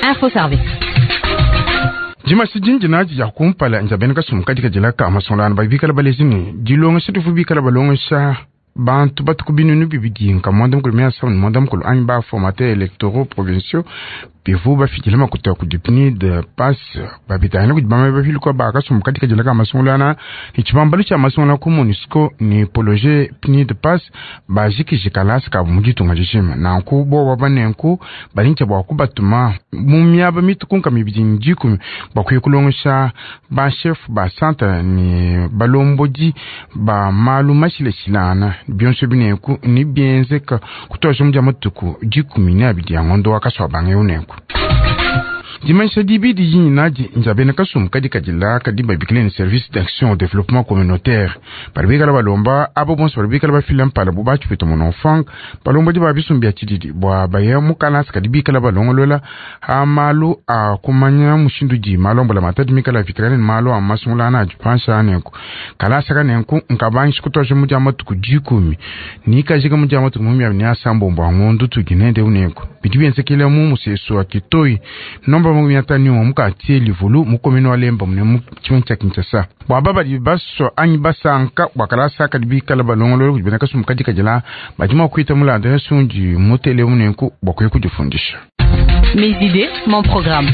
Info Service. Dimasi dindi nadi dia kumpala ndia bena kasumbu kadi kadila ka masungulangana badi bikala baleji ne dilongesha divu bikala balongesha bantu batuku binunu bibidi nka muanda mukulu mia samu ne muanda mukulu anyi ba formateur électoraux provinciaux bivu bafidile makuta kudi PNUD PAS babitangila kudi bamue bapiluka ba kasumbu kadi kadila ka masungulangana ne tshibambalu tshia masungula ku MONUSCO ne projet PNUD PAS bajikije kalasa kabu mu ditunga dijima. Nanku bowa banenku badi ne bua kubatuma mu miaba mituku mibidi ne dikumi bua kuya kulongesha ba chef ba centre ne balombodi ba malu mashilashilangana bionso binenku ni bienzeka kutuasha mu dia matuku 12 ya ngondo wa kaswa bange unenku. Dimanyisha dibidi dindi nadi ndia bena kasumbu kadi kadila kadi babikile ne service d'action au développement communautaire badi bikala balomba abo bonso badi bikala bafila mpala bu batshipita munonfang balombodi ba bisumbu bia tshididi bua baya mu kalasa kadi bikala balongolola ha malu a kumanya mushindu di malombola matadi mikala apitakana ne malu a masungula ana adi panshi anenku. Kalasa kanenku nkabangisha kutuasha mu dia matuku 10 nikajika mu dia matuku 36 a ngondo tudi nende unenku. Bidi bienzekele mu musesu wa Kitoi nomba mu miatani mu quartier Livulu mu commune wa Lemba mu mu tshimenga tshia Kinshasa. Bua babadi baswa anyi basanka bua kalasa kadi bikala balongolola kudi bena kasumbu kadi kadila badi mua kuita mulanda yasundi mutele munenku bua kuya kudifundisha. Mes idées, mon programme.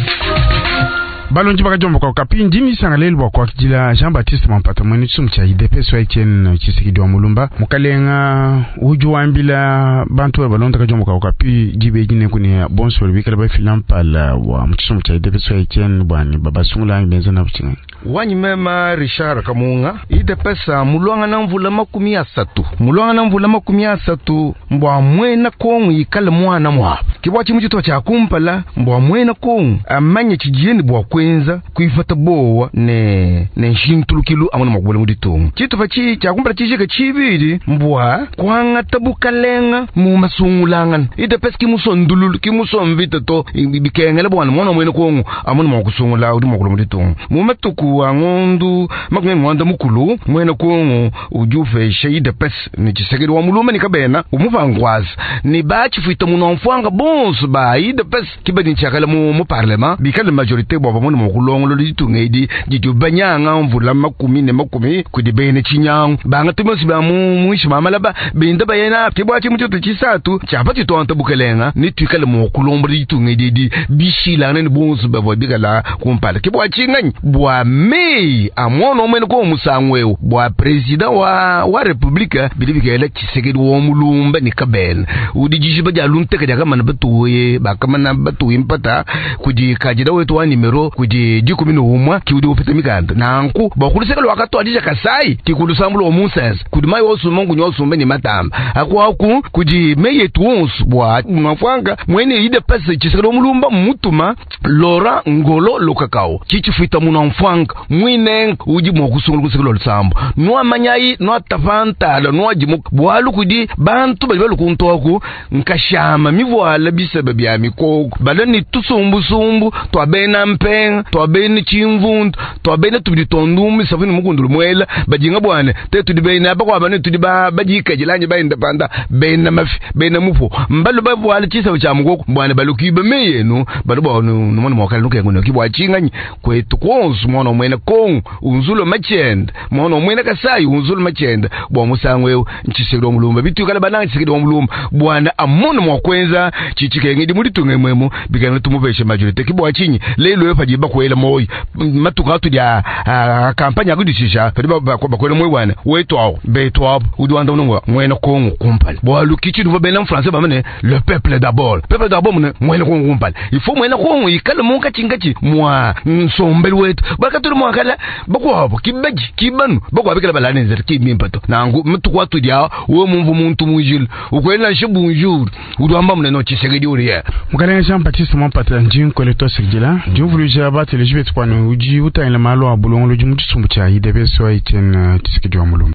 Balondi bakajomboka okapi ndimi sanga lelu bua kuakidila Jean Baptiste Mampata mwene tshisumbu tshia UDPS wa Etienne Tshisekedi wa Mulumba mukalenga udi wambila bantu ba balonda kajomboka okapi dibe dine kuni bonso bali bikala bafila mpala wa mu tshisumbu tshia UDPS wa Etienne bwani babasungula anyi benza na butshinga. Wanyi mema Richard Kamunga UDPS mulwanga na mvula 30 mulwanga na mvula 30 mbwa mwena kongu ikale mwana mwapo kibwa chimu chitwa cha kumpala mbwa mwena kongu amanye chijieni bwa kwenza kuifata bowa ne ne nshintulukilu amuna makubula muditunga chitupa chi chakumpala chishika chibili mbwa kwangata bukalenga mu masungulangana UDPS kimusondululu kimusomvita to bikengela bwana mwana mwene kongu amuna makusungula udi makula muditunga mu matuku wa ngondu 30 mwene kongu udi ufesha UDPS ni Tshisekedi wa Mulumba ni kabena umuvangwaza ni bachifuita munomfwanga bonso ba UDPS kibadi nchakala mu mu parlement bikale majorité bwa bamone mukulongolo litunga edi didi banyanga mvula 10 kudi bene chinyangu banga tumosi ba mu mwishi mamalaba binda bayena kibwa chimu choto chisatu chapati tonta bukelenga ni twikale mu kulombo litunga edi bishilana ni bonso bavwa bikala kumpala kibwa chinganyi bwa mei amwono omwene ko musangweo bwa president wa wa republika bidi bikela Tshisekedi wa Mulumba ni kabena udi jishiba dia lunteka dia kamana batuye bakamana batuye mpata kudi kajida wetu wa nimero kudi 11 kiudi upita mikanda nanku bakuluseka lwakatwadija kasai kikulusambulo omusense kudi mayi osuma ngunyo osumbe ni matamba akwaku kudi meyetu wonso bwa mafwanga mwene ide pese Tshisekedi wa Mulumba mutuma Laurent Ngolo Lokakao chichifuita muno mfwanga mwine udi mwakusungula kusekelo lusambo nwamanyayi nwatafantala nwajimuka bwalu kudi bantu bali balukuntoku nkashama mivuala bisebe bya mikoko balo ni tusumbusumbu twabena mpenga twabena chimvundu twabena tubidi tondumbi sabuni mukundulu mwela bajinga bwane te tudi bena abakwaba ne tudi bajikajilanye baenda panda bena mafi bena mupo mbalo bavuala chisabo cha mukoko bwane balukiba meyenu balo ba numona mwakala nukengo nokibwa chinganyi kwetu konsu mwana mwene kongu unzulo machenda mwana mwene kasai unzulo machenda bwa musango eu Tshisekedi wa Mulumba bitukala bananga Tshisekedi wa Mulumba bwana amona mwakwenza chichikenge dimulitunge mwemo bikana tumupeshe majorité kibwa chinyi lelo efa jiba kwela moyo matuka atu dia kampanya akudishisha pedi bakwela moyo bwana wetu awo betu awo udi wanda unongwa mwene kongu kumpala bwalu kichi duva bena français bamene le peuple d'abord peuple d'abord mune mwene kongu kumpala il faut mwene kongu ikale munka chingachi mwa nsombeli wetu bakatuli mwakala bakwabo kibaji kibanu bakwabikala balanenzera kimimpato nangu matuka atu dia we mumvu muntu mujil ukwela shi bonjour udwamba mune no Tshisekedi uriya mukalenga Jean Baptiste Mampata ndi nkwele twasikidila ndi uvuluja bateleji betu kwanu udi utangila malu a bulongolodi mu tshisumbu tshia UDPS wa Etienne Tshisekedi wa Mulumba.